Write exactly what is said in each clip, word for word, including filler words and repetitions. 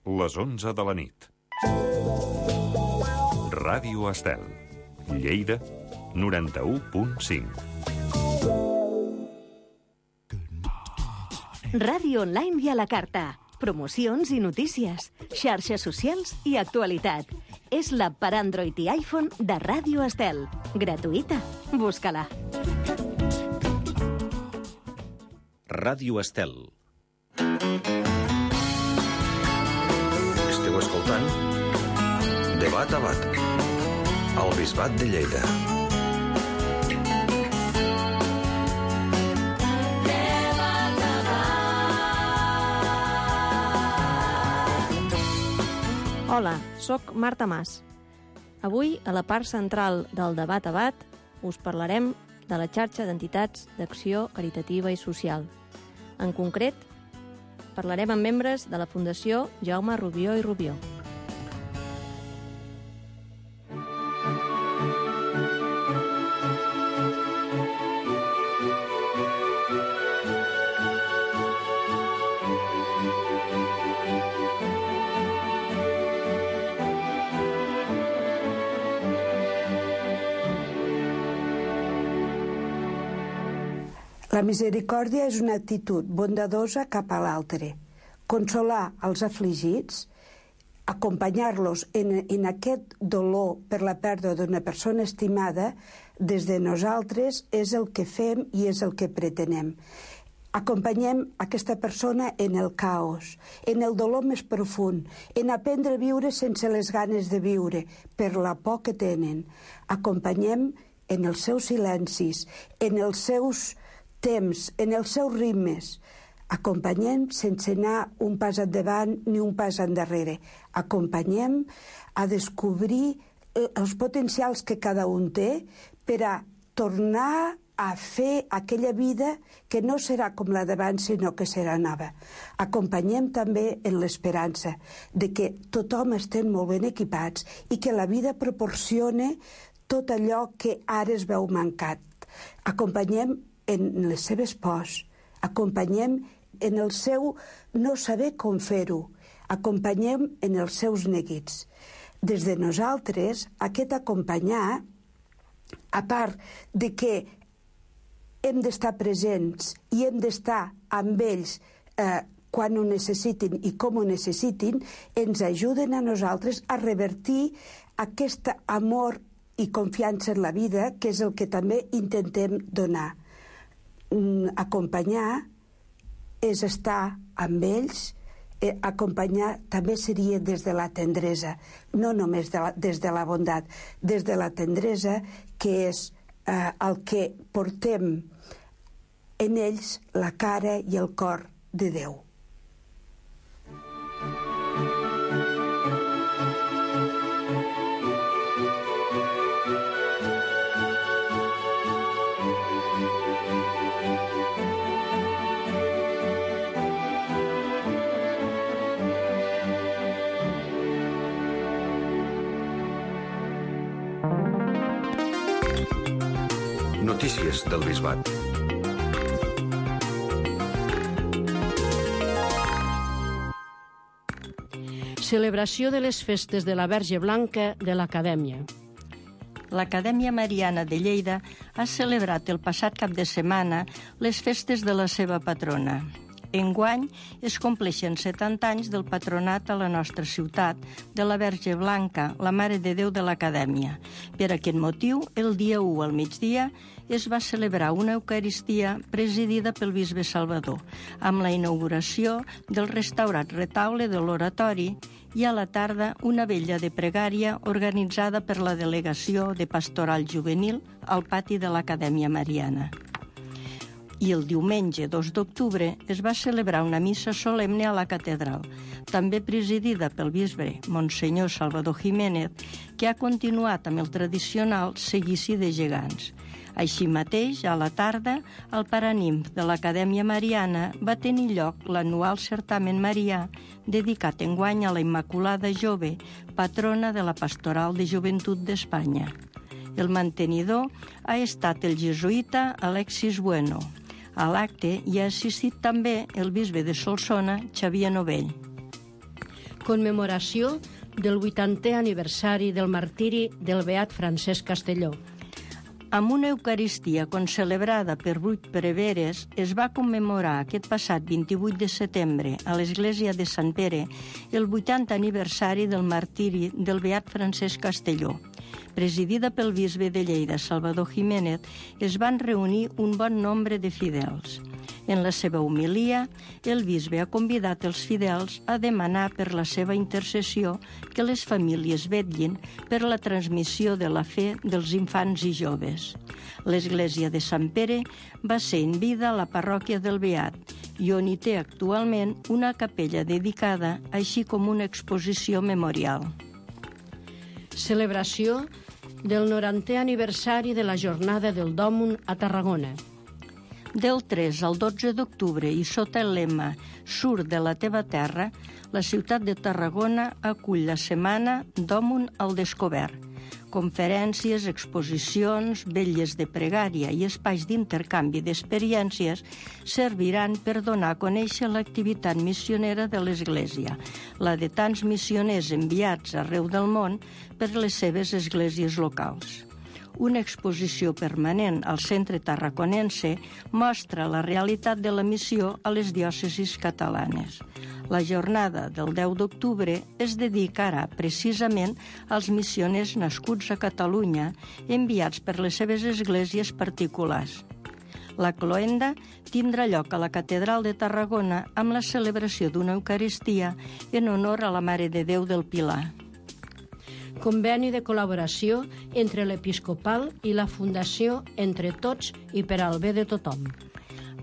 les onze de la nit. Ràdio Estel, Lleida, noranta-u punt cinc. Ràdio online i a la carta. Promocions i notícies, xarxes socials i actualitat. És l'app per Android i iPhone de Ràdio Estel. Gratuïta. Busca-la. Ràdio Estel. Esteu escoltant Debat a Bat, al Bisbat de Lleida. Hola, sóc Marta Mas. Avui, a la part central del Debat a Bat, us parlarem de la xarxa d'entitats d'acció caritativa i social. En concret, parlarem amb membres de la Fundació Jaume Rubió i Rubió. La misericòrdia és una actitud bondadosa cap a l'altre. Consolar els afligits, acompanyar-los en, en aquest dolor per la pèrdua d'una persona estimada, des de nosaltres és el que fem i és el que pretenem. Acompanyem aquesta persona en el caos, en el dolor més profund, en aprendre a viure sense les ganes de viure, per la por que tenen. Acompanyem en els seus silencis, en els seus temps, en els seus ritmes. Acompanyem sense anar un pas endavant ni un pas endarrere. Acompanyem a descobrir els potencials que cada un té per a tornar a fer aquella vida que no serà com la d'abans, sinó que serà nova. Acompanyem també en l'esperança de que tothom estem molt ben equipats i que la vida proporcione tot allò que ara es veu mancat. Acompanyem en les seves pors, acompanyem en el seu no saber com fer-ho, acompanyem en els seus neguits. Des de nosaltres, aquest acompanyar, a part de que hem d'estar presents i hem d'estar amb ells eh, quan ho necessitin i com ho necessitin, ens ajuden a nosaltres a revertir aquest amor i confiança en la vida, que és el que també intentem donar. Acompanyar és estar amb ells, eh, acompanyar també seria des de la tendresa, no només de la, des de la bondat, des de la tendresa, que és eh, el que portem en ells la cara i el cor de Déu. Notícies del Bisbat. Celebració de les festes de la Verge Blanca de l'Acadèmia. L'Acadèmia Mariana de Lleida ha celebrat el passat cap de setmana les festes de la seva patrona. Enguany es compleixen setanta anys del patronat a la nostra ciutat de la Verge Blanca, la Mare de Déu de l'Acadèmia. Per aquest motiu, el dia u al migdia es va celebrar una Eucaristia presidida pel bisbe Salvador, amb la inauguració del restaurat retaule de l'oratori i a la tarda una vetlla de pregària organitzada per la Delegació de Pastoral Juvenil al pati de l'Acadèmia Mariana. I el diumenge dos d'octubre es va celebrar una missa solemne a la catedral, també presidida pel bisbe Monsenyor Salvador Jiménez, que ha continuat amb el tradicional seguici de gegants. Així mateix, a la tarda, al Paranimf de l'Acadèmia Mariana va tenir lloc l'anual certamen marià dedicat enguany a la Immaculada Jove, patrona de la Pastoral de Joventut d'Espanya. El mantenidor ha estat el jesuïta Alexis Bueno. A l'acte hi ha assistit també el bisbe de Solsona, Xavier Novell. commemoració del vuitantè aniversari del martiri del beat Francesc Castelló. Amb una Eucaristia concelebrada per vuit preveres, es va commemorar aquest passat vint-i-vuit de setembre a l'Església de Sant Pere el vuitantè aniversari del martiri del beat Francesc Castelló. Presidida pel bisbe de Lleida, Salvador Jiménez, es van reunir un bon nombre de fidels. En la seva homilia, el bisbe ha convidat els fidels a demanar per la seva intercessió que les famílies vetllin per la transmissió de la fe dels infants i joves. L'església de Sant Pere va ser en vida a la parròquia del Beat i on hi té actualment una capella dedicada, així com una exposició memorial. Celebració del norantè aniversari de la Jornada del Dòmun a Tarragona. Del tres al dotze d'octubre i sota el lema Surt de la teva terra, la ciutat de Tarragona acull la setmana Dòmun al Descobert. Conferències, exposicions, vetlles de pregària i espais d'intercanvi d'experiències serviran per donar a conèixer l'activitat missionera de l'Església, la de tants missioners enviats arreu del món per les seves esglésies locals. Una exposició permanent al Centre Tarraconense mostra la realitat de la missió a les diòcesis catalanes. La jornada del deu d'octubre es dedicarà precisament als missioners nascuts a Catalunya, enviats per les seves esglésies particulars. La cloenda tindrà lloc a la Catedral de Tarragona amb la celebració d'una Eucaristia en honor a la Mare de Déu del Pilar. Conveni de col·laboració entre l'Episcopal i la Fundació Entre Tots i per al bé de tothom.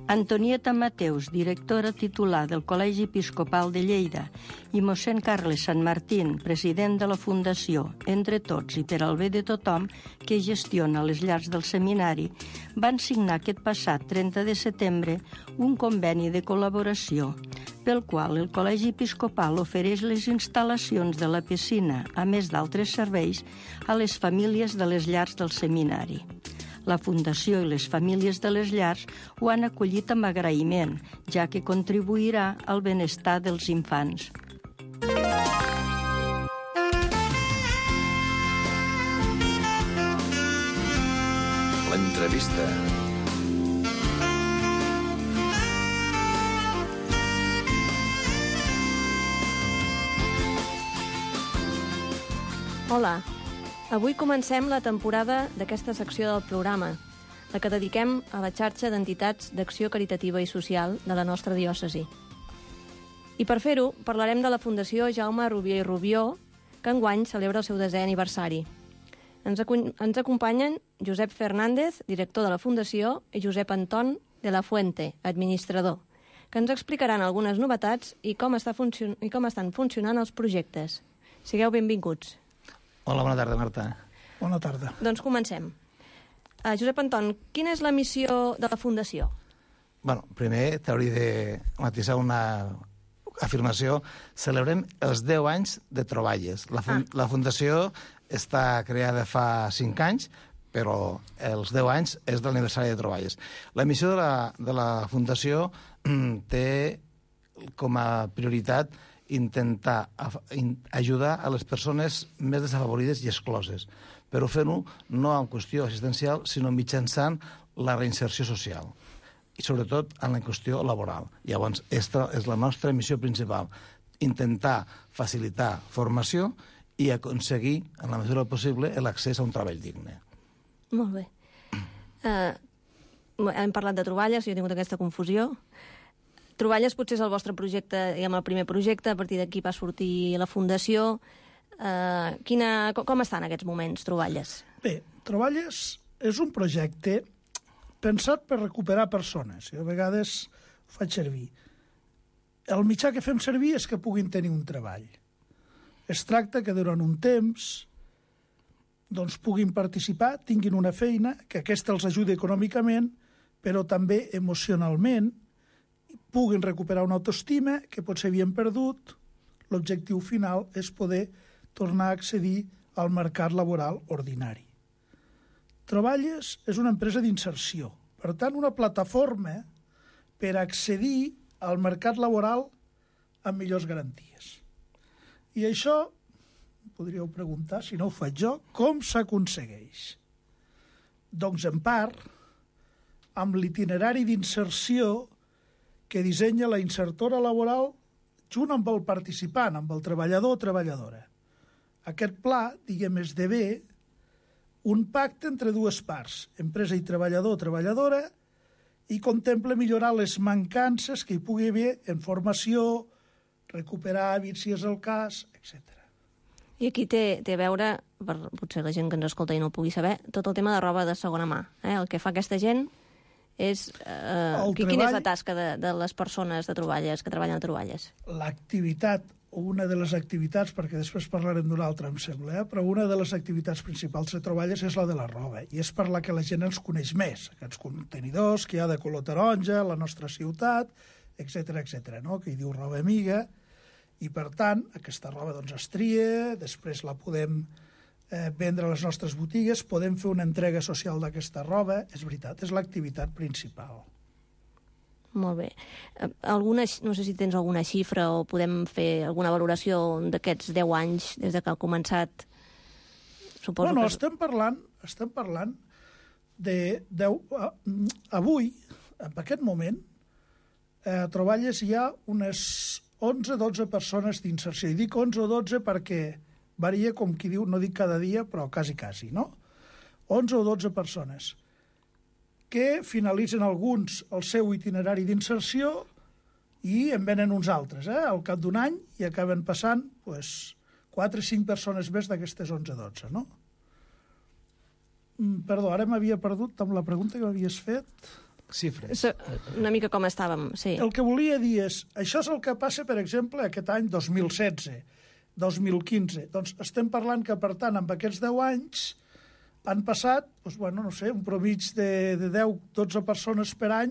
Antonieta Mateus, directora titular del Col·legi Episcopal de Lleida, i mossèn Carles Sant Martín, president de la Fundació Entre Tots i per al bé de tothom, que gestiona les llars del seminari, van signar aquest passat trenta de setembre un conveni de col·laboració pel qual el Col·legi Episcopal ofereix les instal·lacions de la piscina, a més d'altres serveis, a les famílies de les llars del seminari. La Fundació i les famílies de les llars ho han acollit amb agraïment, ja que contribuirà al benestar dels infants. L'entrevista. Hola, avui comencem la temporada d'aquesta secció del programa, la que dediquem a la xarxa d'entitats d'acció caritativa i social de la nostra diòcesi. I per fer-ho, parlarem de la Fundació Jaume Rubió i Rubió, que enguany celebra el seu desè aniversari. Ens, acu- ens acompanyen Josep Fernández, director de la Fundació, i Josep Anton de la Fuente, administrador, que ens explicaran algunes novetats i com, està funcion- i com estan funcionant els projectes. Sigueu benvinguts. Hola, bona tarda, Marta. Bona tarda. Doncs comencem. Uh, Josep Anton, quina és la missió de la Fundació? Bueno, primer t'hauria de matisar una afirmació. Celebrem els deu anys de troballes. La, fun ah. la Fundació està creada fa cinc anys, però els deu anys és l'aniversari de troballes. La missió de la, de la Fundació té com a prioritat intentar ajudar a les persones més desafavorides i excloses, però fent-ho no en qüestió assistencial, sinó mitjançant la reinserció social i sobretot en la qüestió laboral. Llavors, aquesta és la nostra missió principal, intentar facilitar formació i aconseguir, en la mesura possible, l'accés a un treball digne. Molt bé. Uh, hem parlat de troballes, jo he tingut aquesta confusió. Troballes potser és el vostre projecte, diguem, el primer projecte, a partir d'aquí va sortir la Fundació. Uh, quina, com estan aquests moments, Troballes? Bé, Troballes és un projecte pensat per recuperar persones. Jo a vegades ho faig servir. El mitjà que fem servir és que puguin tenir un treball. Es tracta que durant un temps doncs, puguin participar, tinguin una feina, que aquesta els ajudi econòmicament, però també emocionalment, puguin recuperar una autoestima que potser havien perdut. L'objectiu final és poder tornar a accedir al mercat laboral ordinari. Troballes és una empresa d'inserció, per tant, una plataforma per accedir al mercat laboral amb millors garanties. I això, podríeu preguntar, si no ho faig jo, com s'aconsegueix? Doncs, en part, amb l'itinerari d'inserció que dissenya la insertora laboral junt amb el participant, amb el treballador o treballadora. Aquest pla, diguem, esdevé un pacte entre dues parts, empresa i treballador o treballadora, i contempla millorar les mancances que hi pugui haver en formació, recuperar hàbits si és el cas, etcètera. I aquí té, té a veure, per potser la gent que ens escolta i no ho pugui saber, tot el tema de roba de segona mà. Eh? El que fa aquesta gent és... Eh, El quina treball- és la tasca de, de les persones de troballes que treballen a troballes? L'activitat, o una de les activitats, perquè després parlarem d'una altra, em sembla, eh? però una de les activitats principals de troballes és la de la roba, i és per la que la gent ens coneix més. Aquests contenidors que hi ha de color taronja, la nostra ciutat, etcètera, etcètera, no? Que hi diu roba amiga, i per tant, aquesta roba doncs, es tria, després la podem eh, vendre a les nostres botigues, podem fer una entrega social d'aquesta roba, és veritat, és l'activitat principal. Molt bé. Eh, Alguna, no sé si tens alguna xifra o podem fer alguna valoració d'aquests deu anys des de que ha començat. Suposo Bueno, que... estem parlant, estem parlant de deu... Avui, en aquest moment, eh, a Troballes hi ha unes onze o dotze persones d'inserció. I dic onze o dotze perquè varia, com qui diu, no dic cada dia, però quasi, quasi, no? onze o dotze persones que finalitzen alguns el seu itinerari d'inserció i en venen uns altres, eh? Al cap d'un any, i acaben passant pues, quatre o cinc persones més d'aquestes onze o dotze, no? Mm, Perdó, ara m'havia perdut amb la pregunta que m'havies fet. Xifres. Una mica com estàvem, sí. El que volia dir és, això és el que passa, per exemple, aquest any dos mil setze, dos mil quinze. Doncs estem parlant que, per tant, amb aquests deu anys han passat, doncs, bueno, no sé, un promig de, de deu a dotze persones per any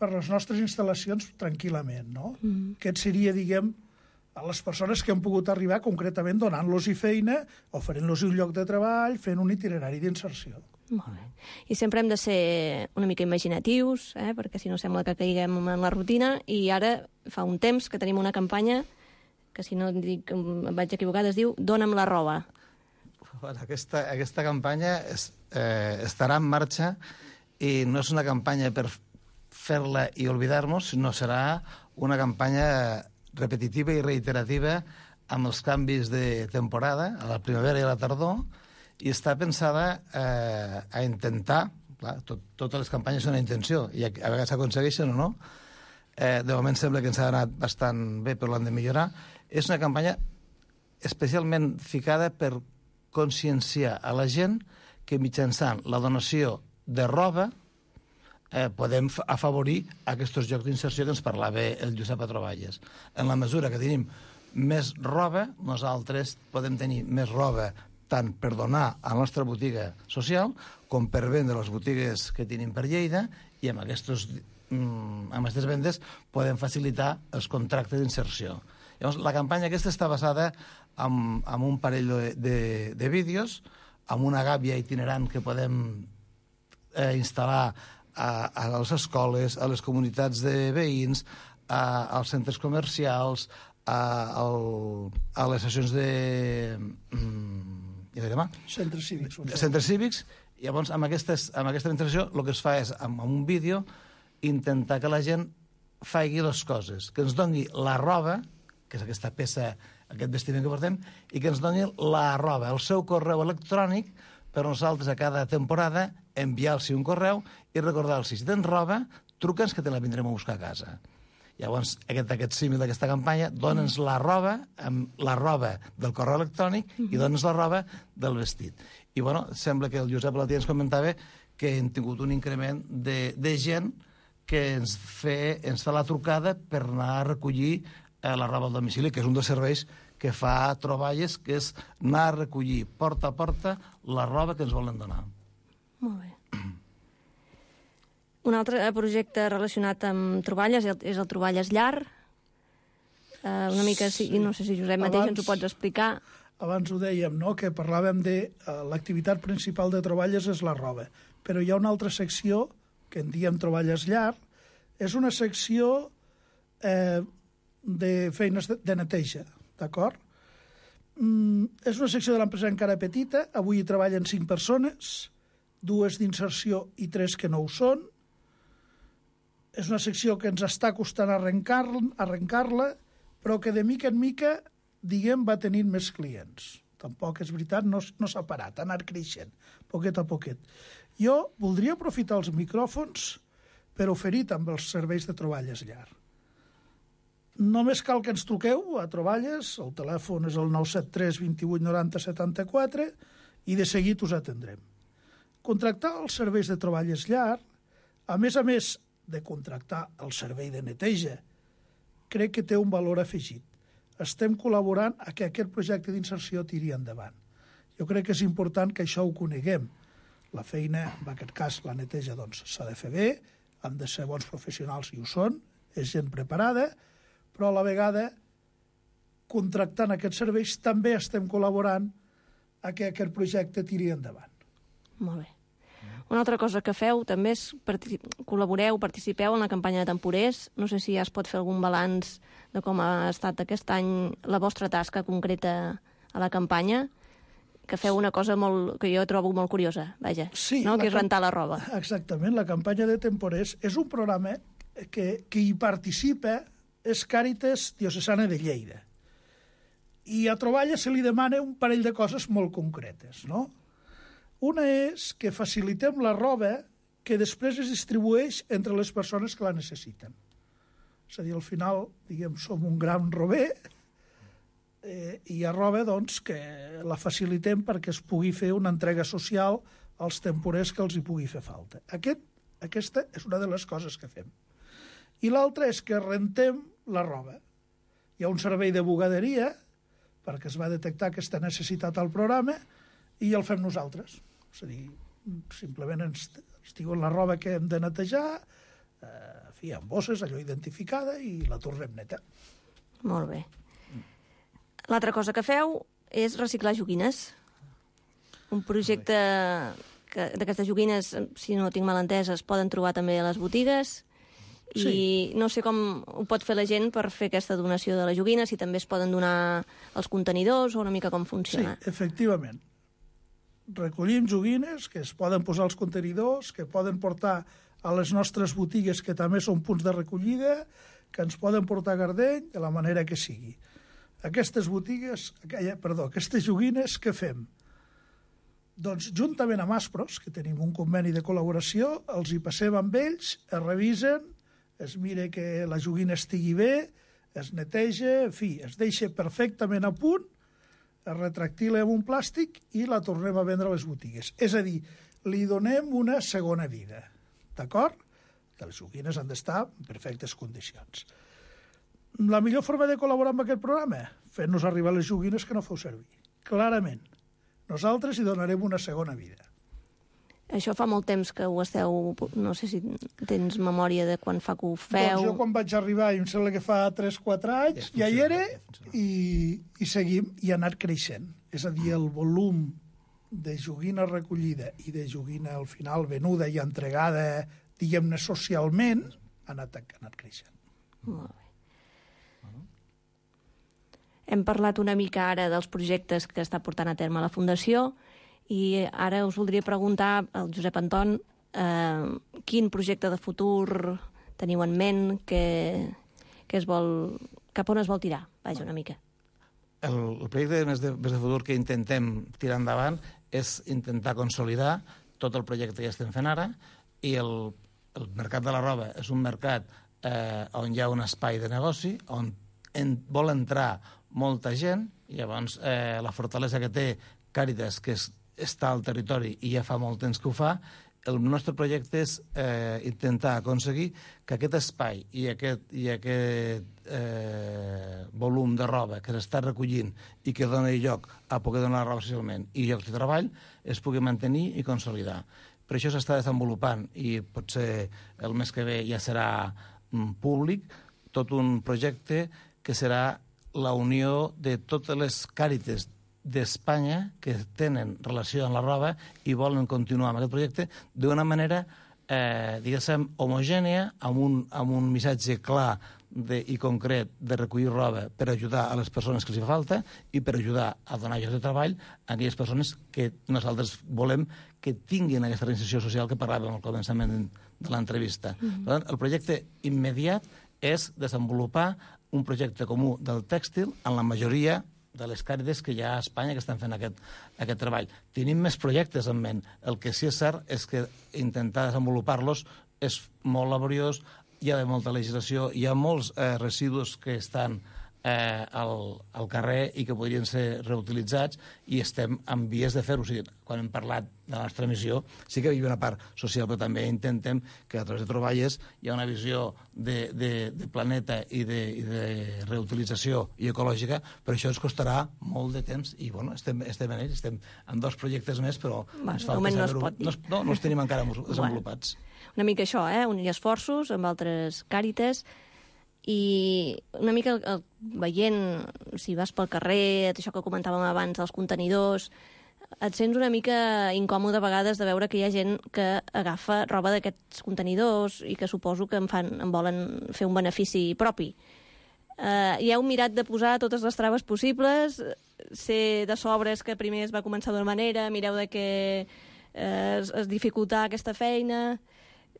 per les nostres instal·lacions tranquil·lament, no? Mm. Aquest seria, diguem, a les persones que han pogut arribar concretament donant-los-hi feina, oferint-los un lloc de treball, fent un itinerari d'inserció. Molt bé. I sempre hem de ser una mica imaginatius, eh? Perquè si no sembla que caiguem en la rutina, i ara fa un temps que tenim una campanya que, si no dic, em vaig equivocar, es diu Dóna'm la roba. Bueno, aquesta, aquesta campanya es, eh, estarà en marxa i no és una campanya per fer-la i oblidar-nos, sinó serà una campanya repetitiva i reiterativa amb els canvis de temporada, a la primavera i a la tardor, i està pensada eh, a intentar, clar, tot, totes les campanyes són una intenció, i a, a vegades s'aconsegueixen o no, eh, de moment sembla que ens ha anat bastant bé, però l'hem de millorar. És una campanya especialment ficada per conscienciar a la gent que mitjançant la donació de roba eh, podem afavorir aquests llocs d'inserció que ens parlava el Josep a Troballes. En la mesura que tenim més roba, nosaltres podem tenir més roba tant per donar a la nostra botiga social com per vendre les botigues que tenim per Lleida, i amb, aquestos, mm, amb aquestes vendes podem facilitar els contractes d'inserció. Llavors, la campanya aquesta està basada en, en un parell de, de, de vídeos, amb una gàbia itinerant que podem eh, instal·lar a, a les escoles, a les comunitats de veïns, a, als centres comercials, a, al, a les sessions de... Mm, ja demà. Centres cívics. Centres cívics. I llavors, amb, aquestes, amb aquesta intervenció, el que es fa és, amb, amb un vídeo, intentar que la gent faci les coses, que ens doni la roba, que és aquesta peça, aquest vestiment que portem, i que ens doni la roba, el seu correu electrònic, per nosaltres a cada temporada enviar-los un correu i recordar-los, si tens roba, truca'ns que te la vindrem a buscar a casa. Llavors, aquest, aquest símil d'aquesta campanya, dona'ns la roba, amb la roba del correu electrònic, i dona'ns la roba del vestit. I, bueno, sembla que el Josep Latí ens comentava que hem tingut un increment de, de gent que ens, fe, ens fa la trucada per anar a recollir eh, la roba al domicili, que és un dels serveis que fa Troballes, que és anar a recollir porta a porta la roba que ens volen donar. Molt bé. Un altre projecte relacionat amb troballes és el Troballes Llar. Uh, una mica, sí. Si, no sé si Josep mateix abans, ens ho pots explicar. Abans ho dèiem, no?, que parlàvem de uh, l'activitat principal de Troballes és la roba, però hi ha una altra secció que en diem Troballes Llar, és una secció eh, de feines de, de neteja, d'acord? mm, és una secció de l'empresa encara petita, avui hi treballen cinc persones, dues d'inserció i tres que no ho són. És una secció que ens està costant arrencar-la, arrencar-la, però que de mica en mica, diguem, va tenint més clients. Tampoc és veritat, no, no s'ha parat, ha anat creixent, poquet a poquet. Jo voldria aprofitar els micròfons per oferir també els serveis de troballes llar. Només cal que ens truqueu a Troballes, el telèfon és el nou set tres, vint vuit, noranta, setanta-quatre, i de seguit us atendrem. Contractar els serveis de troballes llar, a més a més de contractar el servei de neteja, crec que té un valor afegit. Estem col·laborant a que aquest projecte d'inserció tiri endavant. Jo crec que és important que això ho coneguem. La feina, en aquest cas la neteja, doncs s'ha de fer bé, han de ser bons professionals i ho són, és gent preparada, però a la vegada, contractant aquests serveis, també estem col·laborant a que aquest projecte tiri endavant. Molt bé. Una altra cosa que feu també és partic- col·laboreu, participeu en la campanya de temporers. No sé si ja es pot fer algun balanç de com ha estat aquest any la vostra tasca concreta a la campanya, que feu una cosa molt, que jo trobo molt curiosa, vaja, sí, no? que és cam- rentar la roba. Exactament, la campanya de temporers és un programa que, que hi participa és Càritas Diocesana de Lleida. I a Troballes se li demana un parell de coses molt concretes, no? Una és que facilitem la roba que després es distribueix entre les persones que la necessiten. És a dir, al final, diguem, som un gran rober eh, i hi ha roba, doncs, que la facilitem perquè es pugui fer una entrega social als temporers que els hi pugui fer falta. Aquest, aquesta és una de les coses que fem. I l'altra és que rentem la roba. Hi ha un servei de bugaderia perquè es va detectar aquesta necessitat al programa i el fem nosaltres. És a dir, simplement ens, ens diuen la roba que hem de netejar, eh, en fi, amb bosses, allò identificada, i la tornem neta. Molt bé. L'altra cosa que feu és reciclar joguines. Un projecte que d'aquestes joguines, si no tinc mal entès, es poden trobar també a les botigues. I sí. No sé com ho pot fer la gent per fer aquesta donació de la joguina, si també es poden donar els contenidors o una mica com funciona. Sí, efectivament. Recollim joguines que es poden posar als contenidors, que poden portar a les nostres botigues, que també són punts de recollida, que ens poden portar a Gardeny, de la manera que sigui. Aquestes botigues, perdó, aquestes joguines, què fem? Doncs, juntament amb Aspros, que tenim un conveni de col·laboració, els hi passem amb ells, es revisen, es mira que la joguina estigui bé, es neteja, en fi, es deixa perfectament a punt, es retractila amb un plàstic i la tornem a vendre a les botigues. És a dir, li donem una segona vida, d'acord? Que les joguines han d'estar en perfectes condicions. La millor forma de col·laborar amb aquest programa? Fent-nos arribar les joguines que no feu servir. Clarament. Nosaltres hi donarem una segona vida. Això fa molt temps que ho esteu... No sé si tens memòria de quan fa que ho feu... Doncs jo quan vaig arribar, em sembla que fa tres o quatre anys, ja hi era, i, i seguim, i ha anat creixent. És a dir, el volum de joguina recollida i de joguina al final venuda i entregada, diguem-ne, socialment, ha anat, ha anat creixent. Molt bé. Hem parlat una mica ara dels projectes que està portant a terme la Fundació, i ara us voldria preguntar al Josep Anton eh, quin projecte de futur teniu en ment, que, que es vol, cap on es vol tirar? Vaja, una mica. El, el projecte més de, més de futur que intentem tirar endavant és intentar consolidar tot el projecte que estem fent ara, i el, el mercat de la roba és un mercat eh, on hi ha un espai de negoci, on en, vol entrar molta gent, i llavors eh, la fortalesa que té Càritas, que és està al territori i ja fa molt temps que ho fa, el nostre projecte és eh, intentar aconseguir que aquest espai i aquest, i aquest eh, volum de roba que s'està recollint i que dona lloc a poder donar roba socialment i llocs de treball es pugui mantenir i consolidar. Per això s'està desenvolupant, i potser el mes que ve ja serà mm, públic, tot un projecte que serà la unió de totes les Càritas d'Espanya que tenen relació amb la roba i volen continuar amb aquest projecte d'una manera, eh, diguéssim, homogènia, amb un, amb un missatge clar de, i concret de recollir roba per ajudar a les persones que els fa falta i per ajudar a donar llocs de treball a aquelles persones que nosaltres volem que tinguin aquesta reinserció social que parlàvem al començament de l'entrevista. Mm-hmm. Per tant, el projecte immediat és desenvolupar un projecte comú del tèxtil en la majoria de les càrides que hi ha a Espanya que estan fent aquest, aquest treball. Tenim més projectes en ment. El que sí és cert és que intentar desenvolupar-los és molt laboriós, hi ha de molta legislació, hi ha molts eh, residus que estan eh, al, al carrer i que podrien ser reutilitzats i estem en vies de fer-ho. O sigui, quan hem parlat de la nostra missió, sí que hi ha una part social, però també intentem que a través de troballes hi ha una visió de, de, de planeta i de, i de reutilització i ecològica, però això ens costarà molt de temps i bueno, estem, estem en ells, estem en dos projectes més, però bueno, ens falta no saber-ho. No, no, no els tenim encara desenvolupats. Bueno, una mica això, eh? Unir esforços amb altres càrites i una mica el, el, veient, si vas pel carrer, això que comentàvem abans, els contenidors, et sents una mica incòmode a vegades de veure que hi ha gent que agafa roba d'aquests contenidors i que suposo que en, fan, en volen fer un benefici propi. Uh, hi heu mirat de posar totes les traves possibles, ser de sobres que primer es va començar d'una manera, mireu de que uh, es, es dificultar aquesta feina,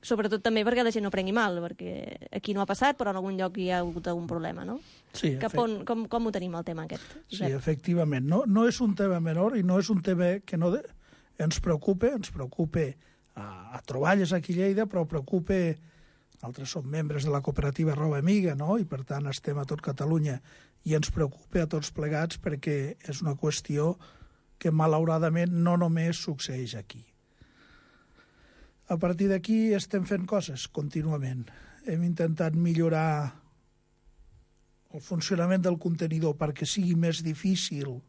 sobretot també perquè la gent no prengui mal, perquè aquí no ha passat, però en algun lloc hi ha hagut algun problema, no? Sí, Cap on, com, com ho tenim, el tema aquest? Sí, efectivament. No, no és un tema menor i no és un tema que no de... ens preocupa, ens preocupa a, a Troballes aquí a Lleida, però preocupa... Altres som membres de la cooperativa Roba Amiga, no? I per tant estem a tot Catalunya i ens preocupa a tots plegats perquè és una qüestió que malauradament no només succeeix aquí. A partir d'aquí estem fent coses contínuament. Hem intentat millorar el funcionament del contenidor perquè sigui més difícil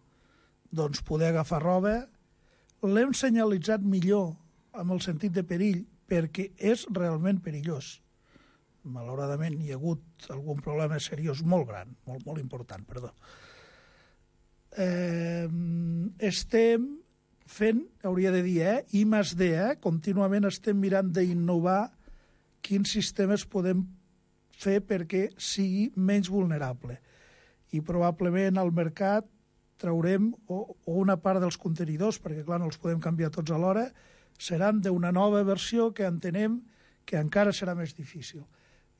doncs, poder agafar roba. L'hem senyalitzat millor amb el sentit de perill perquè és realment perillós. Malauradament hi ha hagut algun problema seriós molt gran, molt, molt important, perdó. Eh, estem fent, hauria de dir, eh, I més D, eh, contínuament estem mirant d'innovar quins sistemes podem fer perquè sigui menys vulnerable. I probablement al mercat traurem o, o una part dels contenidors, perquè clar, no els podem canviar tots alhora, seran d'una nova versió que entenem que encara serà més difícil.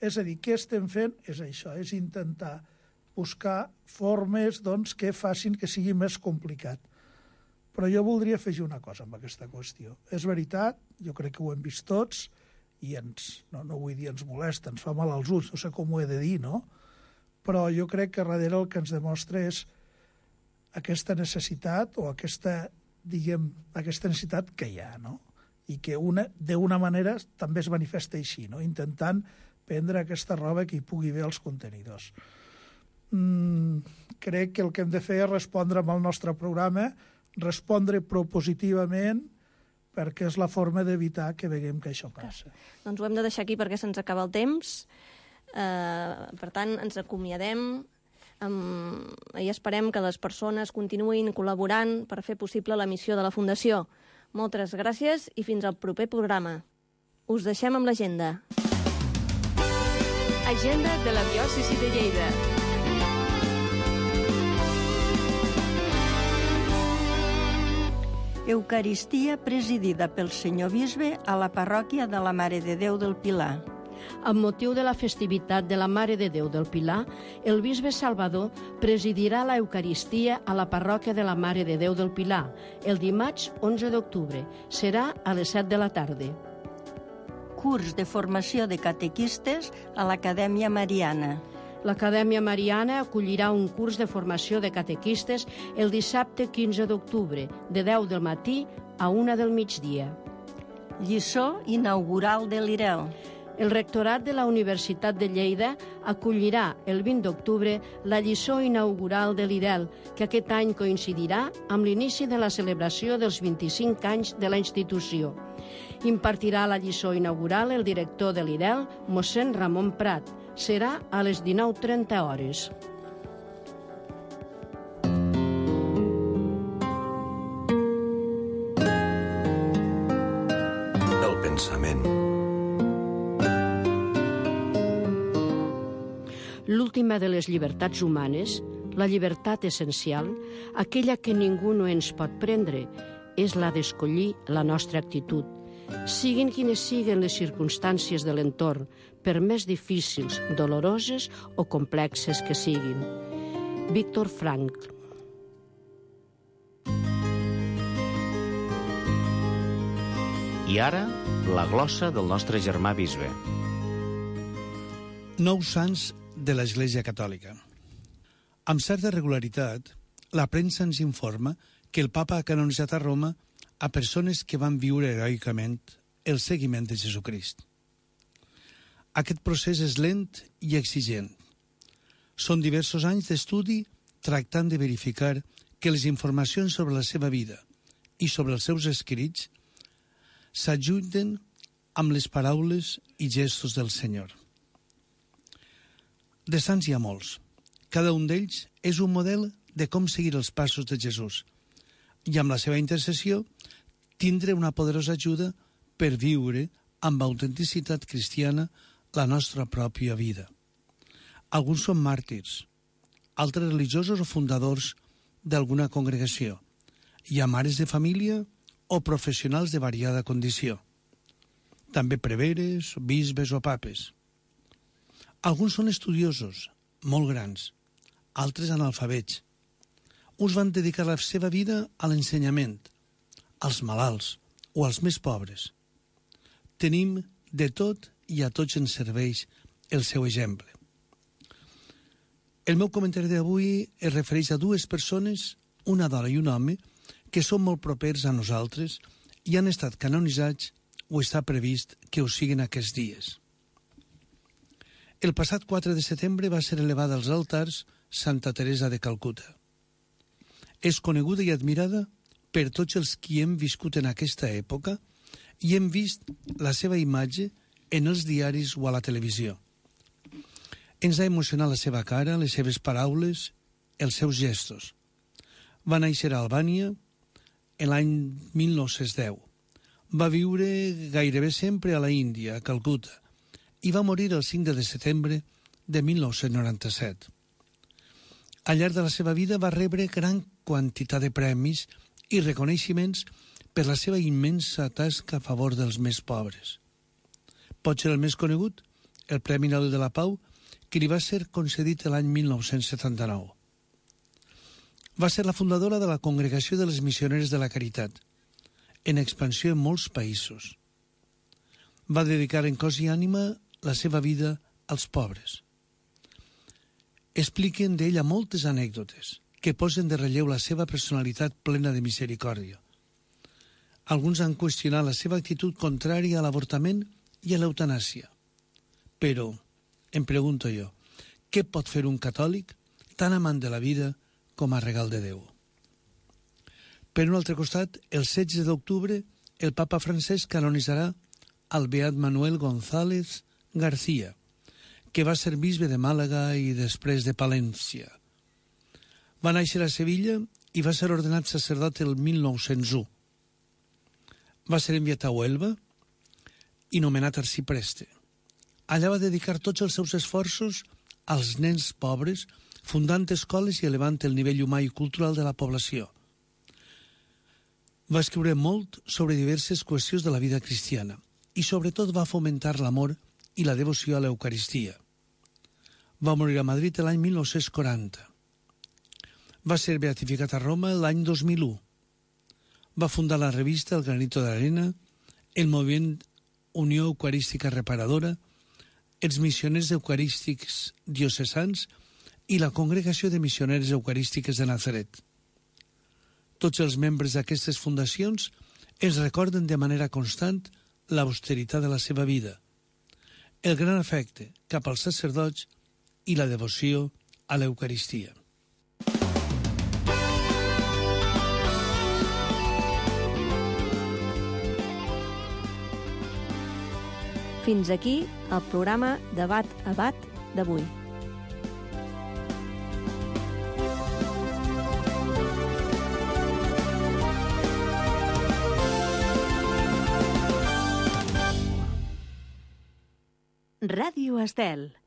És a dir, què estem fent? És això, és intentar buscar formes doncs, que facin que sigui més complicat. Però jo voldria afegir una cosa amb aquesta qüestió. És veritat, jo crec que ho hem vist tots, i ens, no, no vull dir ens molesta, ens fa mal als ulls, no sé com ho he de dir, no? Però jo crec que darrere el que ens demostra és aquesta necessitat o aquesta, diguem, aquesta necessitat que hi ha, no? I que una, d'una manera també es manifesta així, no? Intentant prendre aquesta roba que hi pugui haver als contenidors. Mm, crec que el que hem de fer és respondre amb el nostre programa, respondre propositivament, perquè és la forma d'evitar que veiem que això passa. Doncs ho hem de deixar aquí perquè se'ns acaba el temps. Uh, per tant, ens acomiadem um, i esperem que les persones continuïn col·laborant per fer possible la missió de la Fundació. Moltes gràcies i fins al proper programa. Us deixem amb l'agenda. Agenda de la diòcesi de Lleida. Eucaristia presidida pel senyor bisbe a la parròquia de la Mare de Déu del Pilar. Amb motiu de la festivitat de la Mare de Déu del Pilar, el bisbe Salvador presidirà la Eucaristia a la parròquia de la Mare de Déu del Pilar el dimarts onze d'octubre. Serà a les set de la tarda. Curs de formació de catequistes a l'Acadèmia Mariana. L'Acadèmia Mariana acollirà un curs de formació de catequistes el dissabte quinze d'octubre, de deu del matí a una del migdia. Lliçó inaugural de l'I R E L. El rectorat de la Universitat de Lleida acollirà el vint d'octubre la lliçó inaugural de l'I R E L, que aquest any coincidirà amb l'inici de la celebració dels vint-i-cinc anys de la institució. Impartirà la lliçó inaugural el director de l'I R E L, mossèn Ramon Prat. Serà a les dinou trenta hores. El pensament. l'última de les llibertats humanes, la llibertat essencial, aquella que ningú no ens pot prendre, és la d'escollir la nostra actitud, siguin quines siguen les circumstàncies de l'entorn, per més difícils, doloroses o complexes que siguin. Víctor Frankl. I ara, la glossa del nostre germà bisbe. Nous sants de l'Església Catòlica. Amb certa regularitat, la premsa ens informa que el papa ha canonitzat a Roma a persones que van viure heroicament el seguiment de Jesucrist. Aquest procés és lent i exigent. Són diversos anys d'estudi tractant de verificar que les informacions sobre la seva vida i sobre els seus escrits s'ajunten amb les paraules i gestos del Senyor. De sants hi ha molts. Cada un d'ells és un model de com seguir els passos de Jesús i amb la seva intercessió tindre una poderosa ajuda per viure amb autenticitat cristiana la nostra pròpia vida. Alguns són màrtirs, altres religiosos o fundadors d'alguna congregació. Hi ha mares de família o professionals de variada condició. També preveres, bisbes o papes. Alguns són estudiosos, molt grans, altres analfabets. Uns van dedicar la seva vida a l'ensenyament, als malalts o als més pobres. Tenim de tot i a tots ens serveix el seu exemple. El meu comentari d'avui es refereix a dues persones, una dona i un home, que són molt propers a nosaltres i han estat canonitzats o està previst que ho siguin aquests dies. El passat quatre de setembre va ser elevada als altars Santa Teresa de Calcuta. És coneguda i admirada per tots els qui hem viscut en aquesta època i hem vist la seva imatge en els diaris o a la televisió. Ens ha emocionat la seva cara, les seves paraules, els seus gestos. Va néixer a Albània en l'any mil nou-cents deu. Va viure gairebé sempre a la Índia, a Calcuta, i va morir el cinc de setembre de mil nou-cents noranta-set. Al llarg de la seva vida va rebre gran quantitat de premis i reconeixements per la seva immensa tasca a favor dels més pobres. Pot ser el més conegut, el Premi Nobel de la Pau, que li va ser concedit l'any mil nou-cents setanta-nou. Va ser la fundadora de la Congregació de les Missioneres de la Caritat, en expansió en molts països. Va dedicar en cos i ànima la seva vida als pobres. Expliquen d'ella moltes anècdotes que posen de relleu la seva personalitat plena de misericòrdia. Alguns han qüestionat la seva actitud contrària a l'avortament i a l'eutanàsia. Però, em pregunto jo, què pot fer un catòlic tan amant de la vida com a regal de Déu? Per un altre costat, el setze d'octubre, el papa Francesc canonitzarà el beat Manuel González García, que va ser bisbe de Màlaga i després de Palència. Va néixer a Sevilla i va ser ordenat sacerdot el mil nou-cents u. Va ser enviat a Huelva i nomenat arcipreste. Allà va dedicar tots els seus esforços als nens pobres, fundant escoles i elevant el nivell humà i cultural de la població. Va escriure molt sobre diverses qüestions de la vida cristiana i sobretot va fomentar l'amor i la devoció a l'Eucaristia. Va morir a Madrid l'any mil nou-cents quaranta. Va ser beatificat a Roma l'any dos mil u. Va fundar la revista El Granito de l'Arena, el moviment Unió Eucarística Reparadora, els missioners eucarístics diocesans i la Congregació de Missioneres Eucarístiques de Nazaret. Tots els membres d'aquestes fundacions es recorden de manera constant l'austeritat de la seva vida, el gran afecte cap als sacerdots i la devoció a l'Eucaristia. Fins aquí el programa Debat a Bat d'avui. Ràdio Estel.